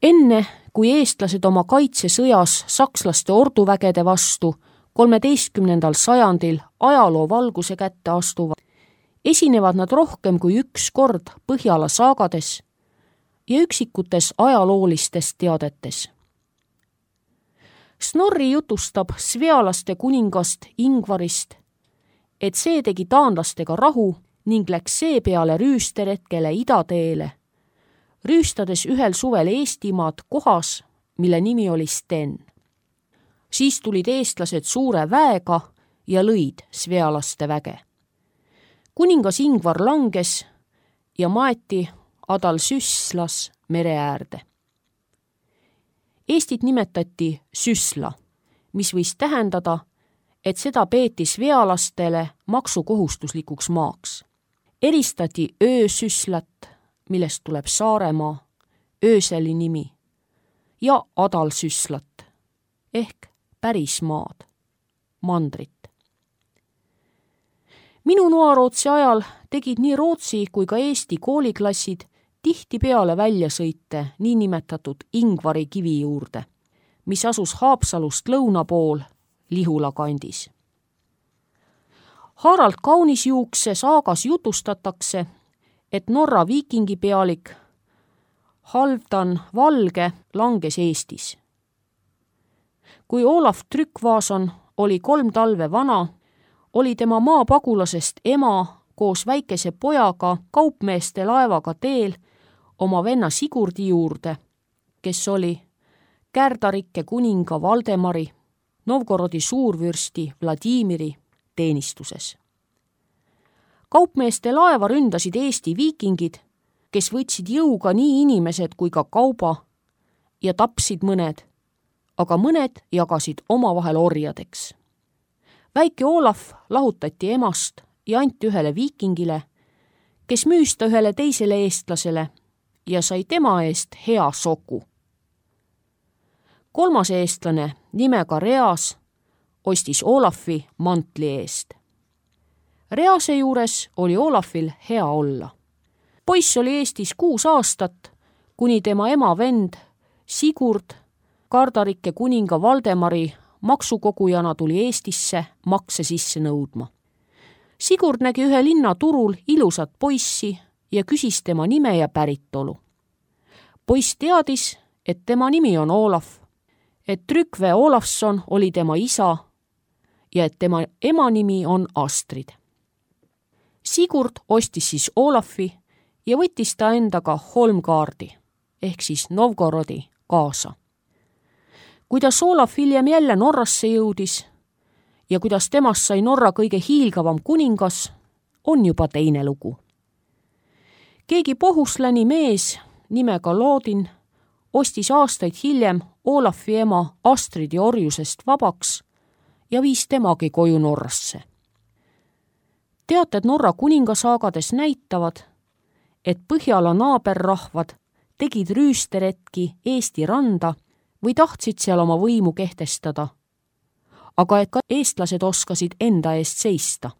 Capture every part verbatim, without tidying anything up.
Enne, kui eestlased oma kaitsesõjas sakslaste orduvägede vastu kolmeteistkümnendal sajandil ajaloo valguse kätte astuvad, esinevad nad rohkem kui üks kord Põhjala saagades ja üksikutes ajaloolistes teadetes. Snorri jutustab svealaste kuningast Ingvarist, et see tegi taanlastega rahu ning läks seepeale rüüsteretkele idateele, rüüstades ühel suvel Eestimaad kohas, mille nimi oli Sten. Siis tulid eestlased suure väega ja lõid svealaste väge. Kuningas Ingvar langes ja maeti Adalsüslas mere äärde. Eestit nimetati Süsla, mis võis tähendada, et seda peeti svealastele maksukohustuslikuks maaks. Eristati Öösüslat, millest tuleb Saaremaa, ööseli nimi, ja Adalsüslat ehk pärismaad, mandrit. Minu noarootsi ajal tegid nii Rootsi kui ka Eesti kooliklassid tihtipeale väljasõite niinimetatud Ingvari kivi juurde, mis asus Haapsalust lõuna pool Lihula kandis. Harald Kaunisjuukse saagas jutustatakse, et Norra viikingipealik Halvdan Valge langes Eestis. Kui Olaf Tryggvason oli kolm talve vana, oli tema maapagulasest ema koos väikese pojaga kaupmeeste laevaga teel oma venna Sigurdi juurde, kes oli Kärdarikke kuninga Valdemari, Novgorodi suurvürsti Vladimiri teenistuses. Kaupmeeste laeva ründasid Eesti viikingid, kes võtsid jõuga nii inimesed kui ka kauba ja tapsid mõned, aga mõned jagasid omavahel orjadeks. Väike Olaf lahutati emast ja anti ühele viikingile, kes müüs ta ühele teisele eestlasele ja sai tema eest hea soku. Kolmas eestlane nimega Reas ostis Olafi mantli eest. Rease juures oli Olafil hea olla. Poiss oli Eestis kuus aastat, kuni tema ema vend Sigurd, Kardarikke kuninga Valdemari maksukogujana tuli Eestisse makse sisse nõudma. Sigurd nägi ühe linna turul ilusat poissi ja küsis tema nime ja päritolu. Poiss teadis, et tema nimi on Olaf, et Trygve Olafsson oli tema isa ja et tema ema nimi on Astrid. Sigurd ostis siis Olafi ja võttis ta endaga Holmgaardi ehk siis Novgorodi kaasa. Kuidas Olaf hiljem jälle Norrasse jõudis ja kuidas temast sai Norra kõige hiilgavam kuningas, on juba teine lugu. Keegi pohusläni mees nimega Loodin ostis aastaid hiljem Olafi ema Astridi orjusest vabaks ja viis temagi koju Norrasse. Teated Norra kuningasaagades näitavad, et Põhjala naaberrahvad tegid rüüsteretki Eesti randa või tahtsid seal oma võimu kehtestada, aga et ka eestlased oskasid enda eest seista.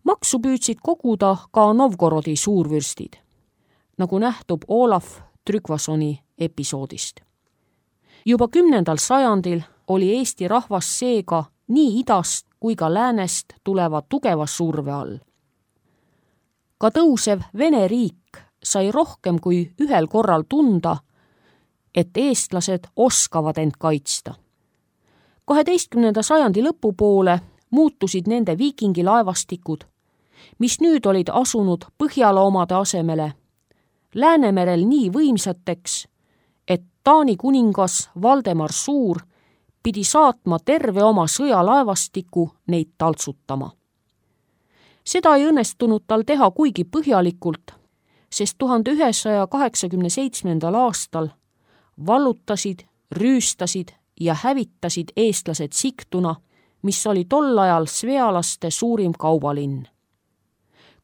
Maksu püüdsid koguda ka Novgorodi suurvürstid, nagu nähtub Olaf Tryggvasoni episoodist. Juba kümnendal sajandil oli Eesti rahvas seega nii idast kui ka läänest tuleva tugeva surve all. Ka tõusev Vene riik sai rohkem kui ühel korral tunda, et eestlased oskavad end kaitsta. kaheteistkümnenda sajandi lõpupoole muutusid nende viikingilaevastikud, mis nüüd olid asunud Põhjala omade asemele, Läänemerel nii võimsateks, et Taani kuningas Valdemar Suur pidi saatma terve oma sõjalaevastiku neid taltsutama. Seda ei õnnestunud tal teha kuigi põhjalikult, sest tuhande ühesaja kaheksakümne seitsmendal aastal vallutasid, rüüstasid ja hävitasid eestlased Sigtuna, mis oli tol ajal svealaste suurim kaubalinn.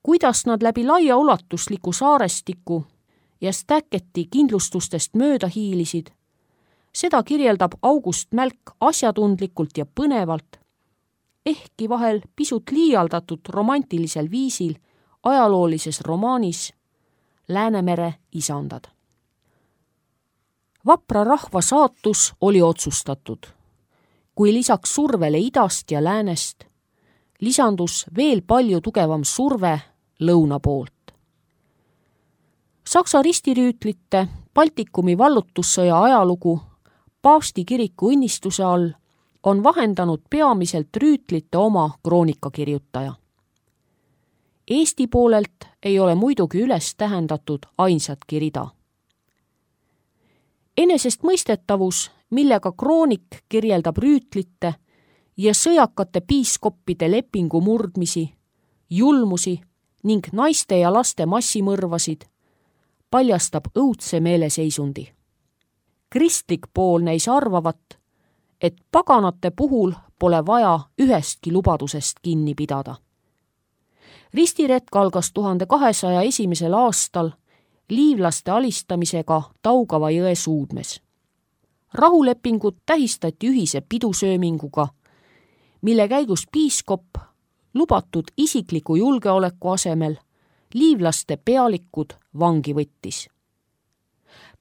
Kuidas nad läbi laia ulatusliku saarestiku ja Stäkketi kindlustustest mööda hiilisid, seda kirjeldab August Mälk asjatundlikult ja põnevalt, ehkki vahel pisut liialdatud romantilisel viisil ajaloolises romaanis Läänemere isandad. Vapra rahva saatus oli otsustatud, kui lisaks survele idast ja läänest lisandus veel palju tugevam surve lõuna poolt. Saksa ristirüütlite Baltikumi vallutussõja ajalugu paavsti kiriku õnnistuse all on vahendanud peamiselt rüütlite oma kroonikakirjutaja. Eesti poolelt ei ole muidugi üles tähendatud ainsatki rida. Enesestmõistetavus, millega kroonik kirjeldab rüütlite ja sõjakate piiskoppide lepingu murdmisi, julmusi ning naiste ja laste massimõrvasid, paljastab õudse meeleseisundi. Kristlik pool neis arvavat, et paganate puhul pole vaja ühestki lubadusest kinni pidada. Ristiretk algas tuhande kahesaja esimesel aastal liivlaste alistamisega Taugava jõe suudmes. Rahulepingut tähistati ühise pidusööminguga, mille käigus piiskop lubatud isikliku julgeoleku asemel liivlaste pealikud vangi võttis.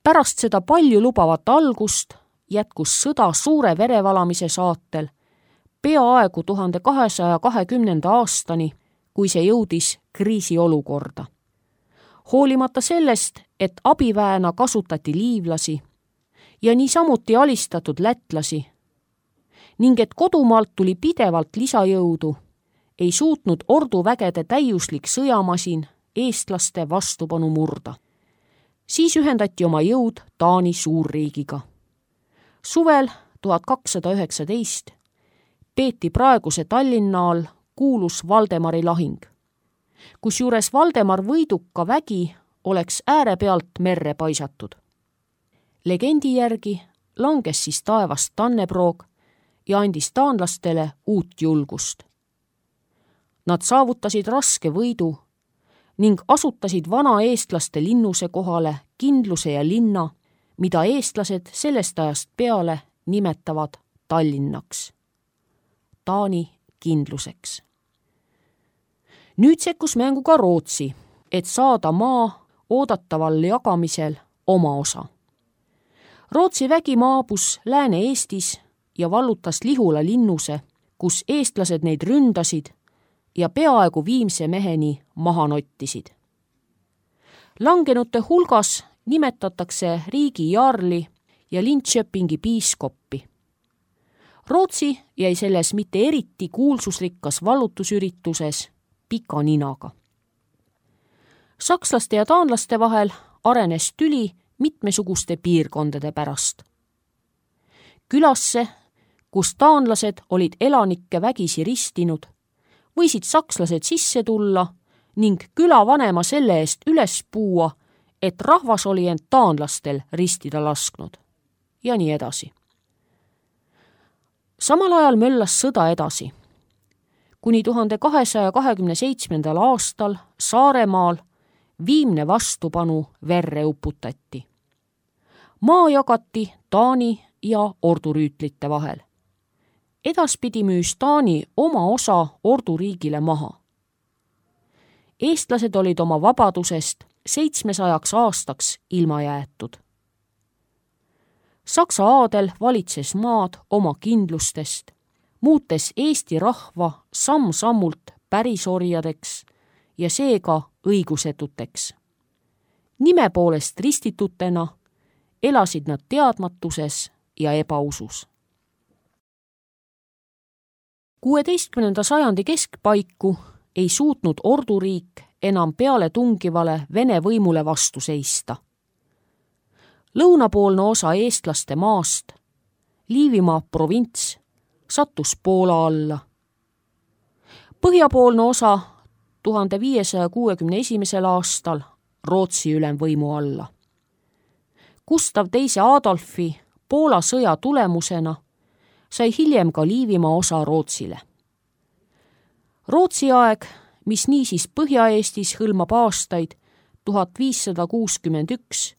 Pärast seda palju lubavat algust jätkus sõda suure verevalamise saatel peaaegu tuhande kahesaja kahekümnenda aastani, kui see jõudis kriisiolukorda. Hoolimata sellest, et abiväena kasutati liivlasi ja niisamuti alistatud lätlasi ning et kodumaalt tuli pidevalt lisajõudu, ei suutnud orduvägede täiuslik sõjamasin eestlaste vastupanu murda. Siis ühendati oma jõud Taani suurriigiga. Suvel tuhat kakssada üheksateist peeti praeguse Tallinna all kuulus Valdemari lahing, kusjuures Valdemar võiduka vägi oleks ääre pealt merre paisatud. Legendi järgi langes siis taevast Tanneproog ja andis taanlastele uut julgust. Nad saavutasid raske võidu ning asutasid vana eestlaste linnuse kohale kindluse ja linna, mida eestlased sellest ajast peale nimetavad Tallinnaks, Taani kindluseks. Nüüd sekkus mängu ka Rootsi, et saada maa oodataval jagamisel oma osa. Rootsi vägi maabus Lääne-Eestis ja vallutas Lihula linnuse, kus eestlased neid ründasid ja peaaegu viimse meheni maha nottisid. Langenute hulgas nimetatakse riigi jaarli ja Linköpingi piiskoppi. Rootsi jäi selles mitte eriti kuulsusrikkas vallutusürituses pika ninaga. Sakslaste ja taanlaste vahel arenes tüli mitmesuguste piirkondade pärast. Külasse, kus taanlased olid elanikke vägisi ristinud, võisid sakslased sisse tulla ning külavanema selle eest üles puua, et rahvas oli end taanlastel ristida lasknud ja nii edasi. Samal ajal möllas sõda edasi. Kuni tuhande kahesaja kahekümne seitsmendal aastal Saaremaal viimne vastupanu verre uputati. Maa jagati Taani ja ordurüütlite vahel. Edaspidi müüs Taani oma osa orduriigile maha. Eestlased olid oma vabadusest seitsmesajaks aastaks ilma jäetud. Saksa aadel valitses maad oma kindlustest, muutes Eesti rahva samm-sammult pärisorjadeks ja seega õigusetuteks. Nime poolest ristitutena elasid nad teadmatuses ja ebausus. kuueteistkümnenda sajandi keskpaiku ei suutnud orduriik enam peale tungivale Vene võimule vastu seista. Lõunapoolne osa eestlaste maast, Liivimaa provints, sattus Poola alla. Põhjapoolne osa tuhande viiesaja kuuekümne esimesel aastal Rootsi ülemvõimu alla. Gustav teise Adolfi Poola sõja tulemusena sai hiljem ka Liivimaa osa Rootsile. Rootsi aeg, mis niisiis Põhja-Eestis hõlmab aastaid tuhat viissada kuuskümmend üks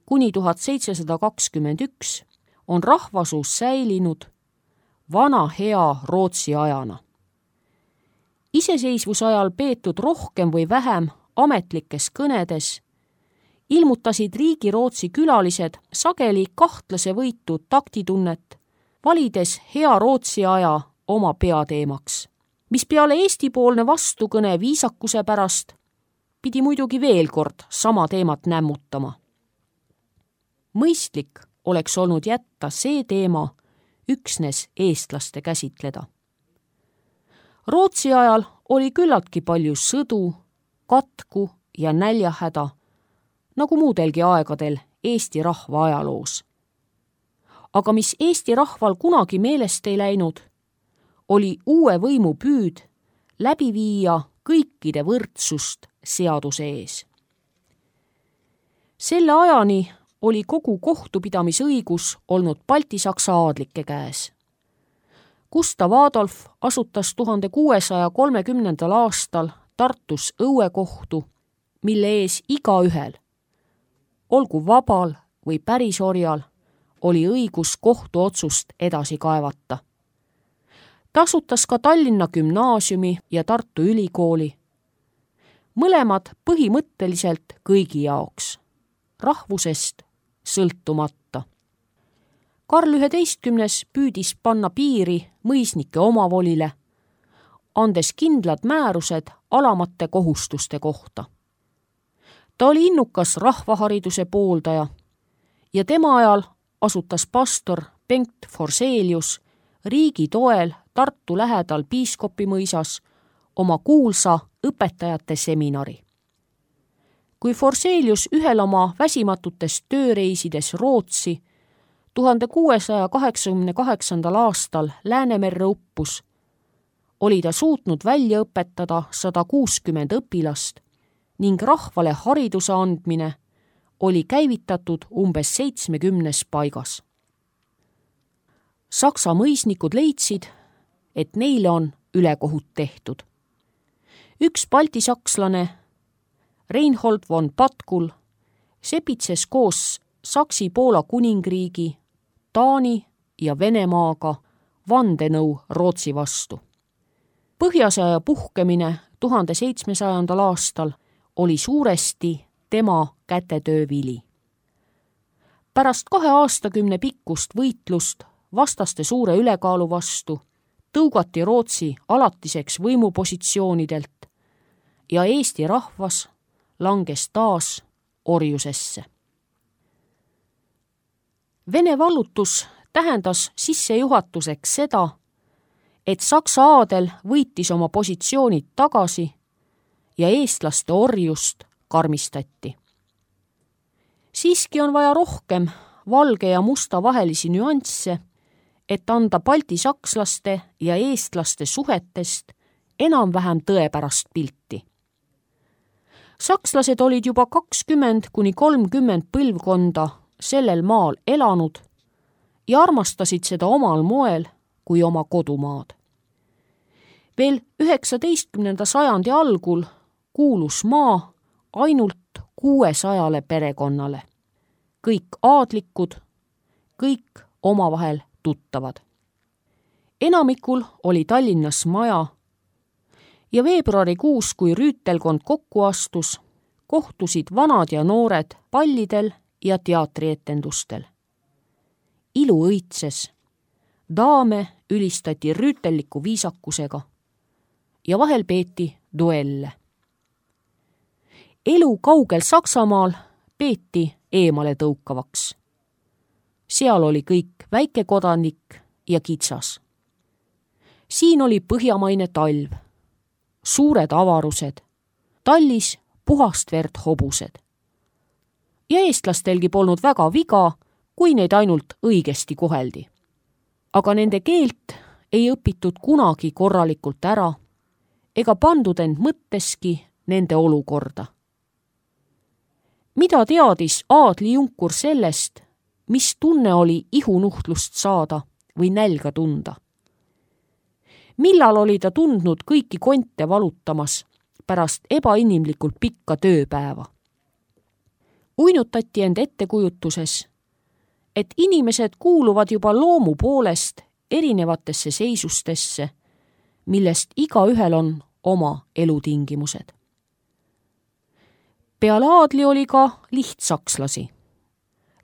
kuni tuhat seitsesada kakskümmend üks, on rahvasuus säilinud vana hea Rootsi ajana. Iseseisvusajal peetud rohkem või vähem ametlikes kõnedes ilmutasid Riigi-Rootsi külalised sageli kahtlase võitu taktitunnet, valides hea Rootsi aja oma peateemaks, mis peale Eesti-poolne vastukõne viisakuse pärast pidi muidugi veel kord sama teemat nämmutama. Mõistlik oleks olnud jätta see teema üksnes eestlaste käsitleda. Rootsi ajal oli küllaltki palju sõdu, katku ja näljahäda, nagu muudelgi aegadel Eesti rahva ajaloos. Aga mis Eesti rahval kunagi meelest ei läinud, oli uue võimu püüd läbi viia kõikide võrdsust seaduse ees. Selle ajani oli kogu kohtupidamisõigus olnud baltisaksa aadlike käes. Gustav Adolf asutas tuhande kuuesaja kolmekümnendal aastal Tartus õuekohtu, mille ees igaühel, olgu vabal või pärisorjal, oli õigus kohtuotsust edasi kaevata. Ta asutas ka Tallinna Gümnaasiumi ja Tartu Ülikooli. Mõlemad põhimõtteliselt kõigi jaoks, rahvusest sõltumata. Karl üheteistkümnes püüdis panna piiri mõisnike omavolile, andes kindlad määrused alamate kohustuste kohta. Ta oli innukas rahvahariduse pooldaja ja tema ajal asutas pastor Bengt Forselius riigi toel Tartu lähedal Piiskopimõisas oma kuulsa õpetajate seminari. Kui Forselius ühel oma väsimatutest tööreisides Rootsi tuhande kuuesaja kaheksakümne kaheksandal aastal Läänemerre uppus, oli ta suutnud välja õpetada sada kuuskümmend õpilast ning rahvale hariduse andmine oli käivitatud umbes seitsmekümnes paigas. Saksa mõisnikud leidsid, et neile on ülekohut tehtud. Üks baltisakslane, Reinhold von Patkul, sepitses koos Saksi-Poola kuningriigi, Taani ja Venemaaga vandenõu Rootsi vastu. Põhjasõja puhkemine tuhande seitsmesajandal aastal oli suuresti tema kätetöö vili. Pärast kahe aastakümne pikkust võitlust vastaste suure ülekaalu vastu tõugati Rootsi alatiseks võimupositsioonidelt ja Eesti rahvas langes taas orjusesse. Vene vallutus tähendas sissejuhatuseks seda, et Saksa aadel võitis oma positsioonid tagasi ja eestlaste orjust karmistati. Siiski on vaja rohkem valge ja musta vahelisi nüansse, et anda baltisakslaste ja eestlaste suhetest enam-vähem tõepärast pilti. Sakslased olid juba kakskümmend kuni kolmkümmend põlvkonda sellel maal elanud ja armastasid seda omal moel kui oma kodumaad. Veel üheksateistkümnenda sajandi algul kuulus maa ainult kuuesajale perekonnale. Kõik aadlikud, kõik omavahel tuttavad. Enamikul oli Tallinnas maja ja veebruarikuus, kui rüütelkond kokku astus, kohtusid vanad ja noored pallidel ja teatrietendustel. Ilu õitses, daame ülistati rüütelliku viisakusega ja vahel peeti duelle. Elu kaugel Saksamaal peeti eemale tõukavaks. Seal oli kõik väikekodanik ja kitsas. Siin oli põhjamaine talv, suured avarused, tallis puhast verd hobused. Ja eestlastelgi polnud väga viga, kui neid ainult õigesti koheldi. Aga nende keelt ei õpitud kunagi korralikult ära ega pandud end mõtteski nende olukorda. Mida teadis aadli junkur sellest, mis tunne oli ihunuhtlust saada või nälga tunda? Millal oli ta tundnud kõiki konte valutamas pärast ebainimlikult pikka tööpäeva? Uinutati end ettekujutuses, et inimesed kuuluvad juba loomu poolest erinevatesse seisustesse, millest igaühel on oma elutingimused. Peale aadli oli ka lihtsakslasi,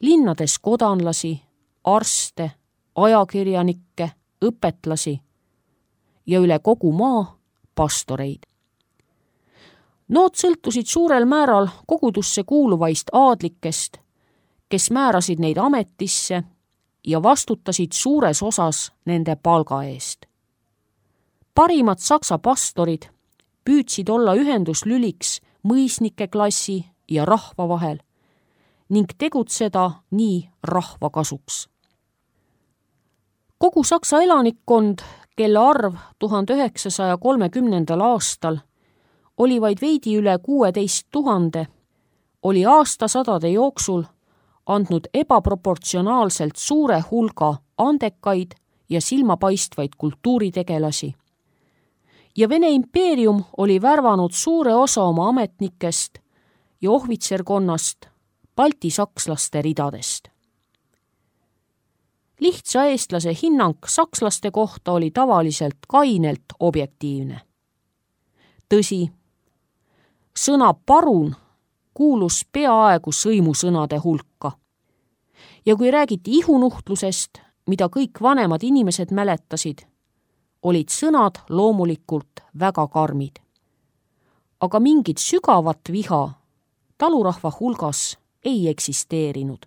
linnades kodanlasi, arste, ajakirjanikke, õpetlasi ja üle kogu maa pastoreid. Nood sõltusid suurel määral kogudusse kuuluvaist aadlikest, kes määrasid neid ametisse ja vastutasid suures osas nende palga eest. Parimad saksa pastorid püüdsid olla ühenduslüliks mõisnike klassi ja rahva vahel ning tegutseda nii rahva kasuks. Kogu Saksa elanikkond, kelle arv tuhande üheksasaja kolmekümnendal aastal oli vaid veidi üle kuueteist tuhande, oli aastasadade jooksul andnud ebaproportsionaalselt suure hulga andekaid ja silmapaistvaid kultuuritegelasi. Ja Vene impeerium oli värvanud suure osa oma ametnikest ja ohvitserkonnast Balti sakslaste ridadest. Lihtsa eestlase hinnang sakslaste kohta oli tavaliselt kainelt objektiivne. Tõsi, sõna parun kuulus peaaegu sõimusõnade hulka. Ja kui räägiti ihunuhtlusest, mida kõik vanemad inimesed mäletasid, olid sõnad loomulikult väga karmid. Aga mingit sügavat viha talurahva hulgas ei eksisteerinud.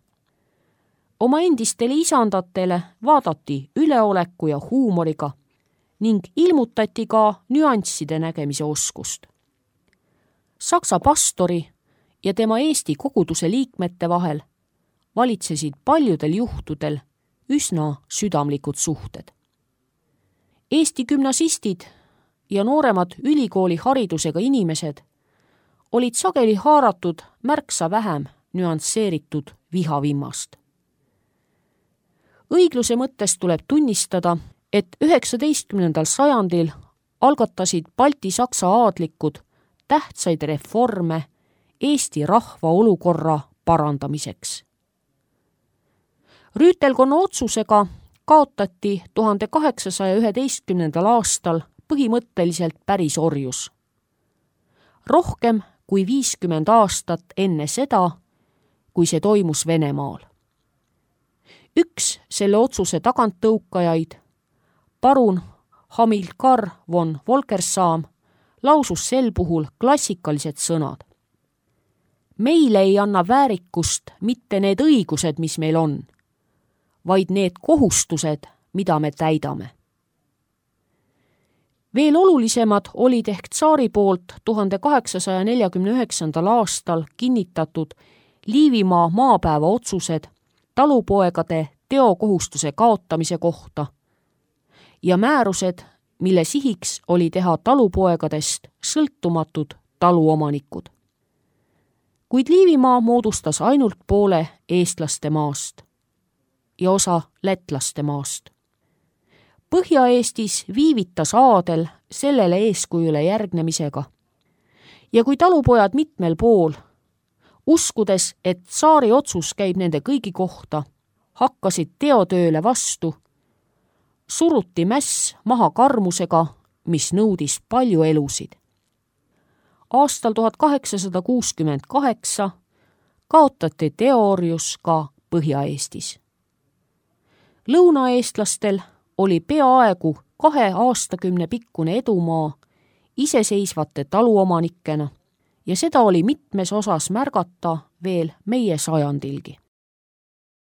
Oma endistele isandatele vaadati üleoleku ja huumoriga ning ilmutati ka nüansside nägemise oskust. Saksa pastori ja tema Eesti koguduse liikmete vahel valitsesid paljudel juhtudel üsna südamlikud suhted. Eesti gümnasistid ja nooremad ülikooli haridusega inimesed olid sageli haaratud märksa vähem nüansseeritud vihavimmast. Õigluse mõttes tuleb tunnistada, et üheksateistkümnendal sajandil algatasid Balti-Saksa aadlikud tähtsaid reforme Eesti rahva olukorra parandamiseks. Rüütelkonna otsusega kaotati tuhande kaheksasaja üheteistkümnendal aastal põhimõtteliselt päris orjus. Rohkem kui viiskümmend aastat enne seda, kui see toimus Venemaal. Üks selle otsuse taganttõukajaid, parun Hamilkar von Volkersam, lausus sel puhul klassikalised sõnad. Meile ei anna väärikust mitte need õigused, mis meil on, vaid need kohustused, mida me täidame. Veel olulisemad olid ehk tsaari poolt tuhande kaheksasaja neljakümne üheksandal aastal kinnitatud Liivimaa maapäeva otsused talupoegade teokohustuse kaotamise kohta ja määrused, mille sihiks oli teha talupoegadest sõltumatud taluomanikud. Kuid Liivimaa moodustas ainult poole eestlaste maast ja osa lätlaste maast. Põhja-Eestis viivitas aadel sellele eeskujule järgnemisega ja kui talupojad mitmel pool, uskudes, et tsaari otsus käib nende kõigi kohta, hakkasid teotööle vastu, suruti mäss maha karmusega, mis nõudis palju elusid. Aastal tuhat kaheksasada kuuskümmend kaheksa kaotati teoorjus ka Põhja-Eestis. Lõunaeestlastel oli peaaegu kahe aastakümne pikkune edumaa iseseisvate taluomanikena ja seda oli mitmes osas märgata veel meie sajandilgi.